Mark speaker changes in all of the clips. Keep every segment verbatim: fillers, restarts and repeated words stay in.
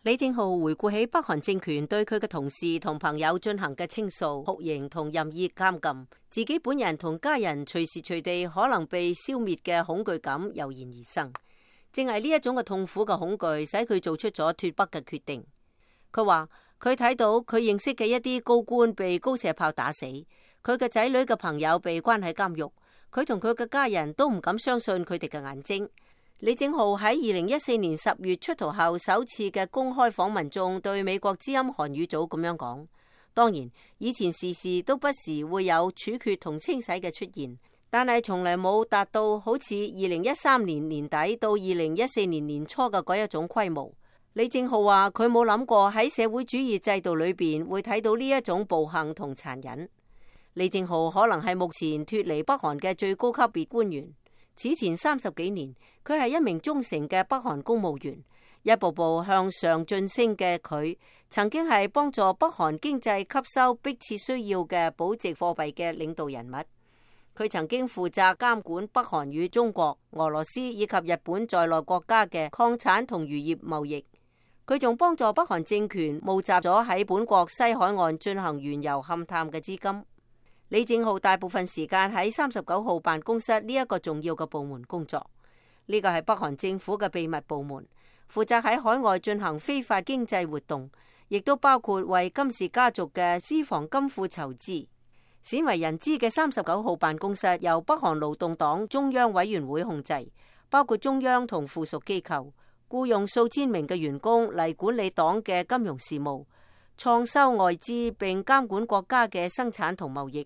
Speaker 1: 李正浩回顧起北韓政權對佢嘅同事同朋友進行嘅清掃、酷刑同任意監禁，自己本人同家人隨時隨地可能被消滅嘅恐懼感油然而生。正係呢一種嘅痛苦嘅恐懼，使佢做出咗脫北嘅決定。佢話佢睇到佢認識嘅一啲高官被高射炮打死，佢嘅仔女嘅朋友被關喺監獄，佢同佢嘅家人都唔敢相信佢哋嘅眼睛。李正浩喺二零一四年十月出逃後首次嘅公開訪問中，對美國之音韓語組咁樣講：當然，以前時時都不時會有處決同清洗嘅出現，但係從嚟冇達到好似二零一三年年底到二零一四年年初嘅嗰一種規模。李正浩話佢冇諗過喺社會主義制度裏邊會睇到呢一種暴行同殘忍。李正浩可能係目前脫離北韓嘅最高級別官員。此前三十幾年，佢係一名忠誠嘅北韓公務員，一步步向上晉升嘅佢，曾經係幫助北韓經濟吸收迫切需要嘅保值貨幣嘅領導人物。佢曾經負責監管北韓與中國、俄羅斯以及日本在內國家嘅礦產同漁業貿易。佢仲幫助北韓政權募集咗喺本國西海岸進行原油勘探嘅資金。李正浩大部分時間喺三十九號辦公室呢一個重要嘅部門工作，呢個係北韓政府嘅秘密部門，負責喺海外進行非法經濟活動，亦都包括為金氏家族嘅私房金庫籌資。鮮為人知嘅三十九號辦公室由北韓勞動黨中央委員會控制，包括中央同附屬機構，僱用數千名嘅員工嚟管理黨嘅金融事務、創收外資並監管國家嘅生產同貿易。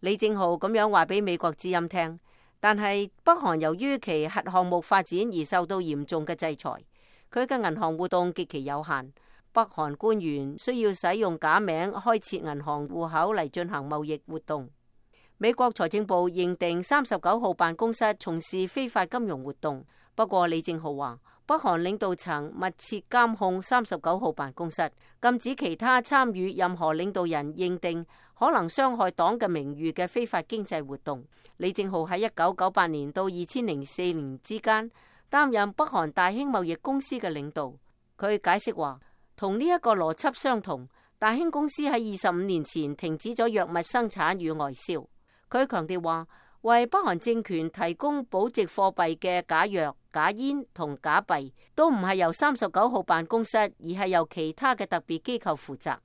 Speaker 1: 李正浩咁樣話俾美國之音聽，但係北韓由於其核項目發展而受到嚴重嘅制裁，佢嘅銀行活動極其有限。北韓官員需要使用假名開設銀行戶口嚟進行貿易活動。美國財政部認定三十九號辦公室從事非法金融活動，不過李正浩話北韓領導層密切監控三十九號辦公室，禁止其他參與任何領導人認定可能傷害黨嘅名譽嘅非法經濟活動。李正浩喺一九九八年到二千零四年之間擔任北韓大興貿易公司嘅領導。佢解釋話，同呢一個邏輯相同，大興公司喺二十五年前停止咗藥物生產與外銷。佢強調話，為北韓政權提供保值貨幣嘅假藥、假煙同假幣都唔係由三十九號辦公室，而係由其他嘅特別機構負責。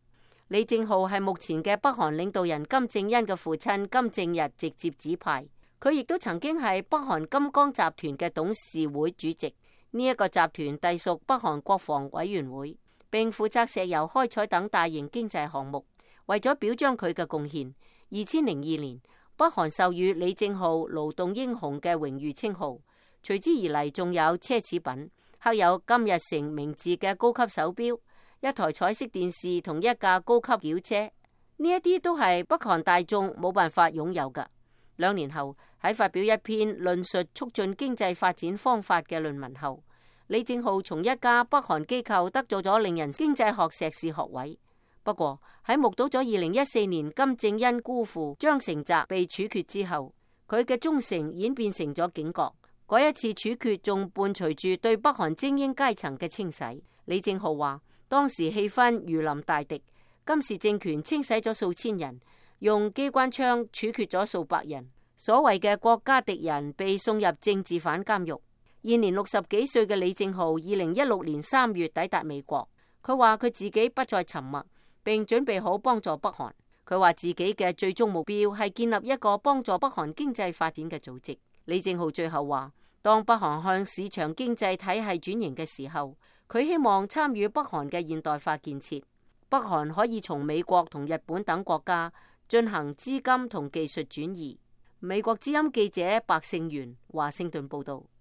Speaker 1: 李正浩係目前嘅北韓領導人金正恩嘅父親金正日直接指派，佢亦都曾經係北韓金剛集團嘅董事會主席。呢、這、一個集團隸屬北韓國防委員會，並負責石油開採等大型經濟項目。為咗表彰佢嘅貢獻，二千零二年北韓授予李正浩勞動英雄嘅榮譽稱號，隨之而嚟仲有奢侈品，刻有金日成名字嘅高級手錶、一台彩色電視同一架高級轎車，呢一啲都係北韓大眾冇辦法擁有㗎。兩年後喺發表一篇論述促進經濟發展方法嘅論文後，李正浩從一家北韓機構得咗咗令人經濟學碩士學位。不過喺目睹咗二零一四年金正恩姑父張成澤被處決之後，佢嘅忠誠演變成咗警覺。嗰一次處決仲伴隨住對北韓精英階層嘅清洗。李正浩話，當時氣氛如臨大敵，金氏政權清洗咗數千人，用機關槍處決咗數百人。所謂嘅國家敵人被送入政治犯監獄。現年六十幾歲嘅李正浩，二零一六年三月抵達美國。佢話佢自己不再沉默，並準備好幫助北韓。佢話自己嘅最終目標係建立一個幫助北韓經濟發展嘅組織。李正浩最後話，當北韓向市場經濟體系轉型嘅時候，佢希望參與北韓嘅現代化建設。北韓可以從美國同日本等國家進行資金同技術轉移。美國之音記者白勝元華盛頓報道。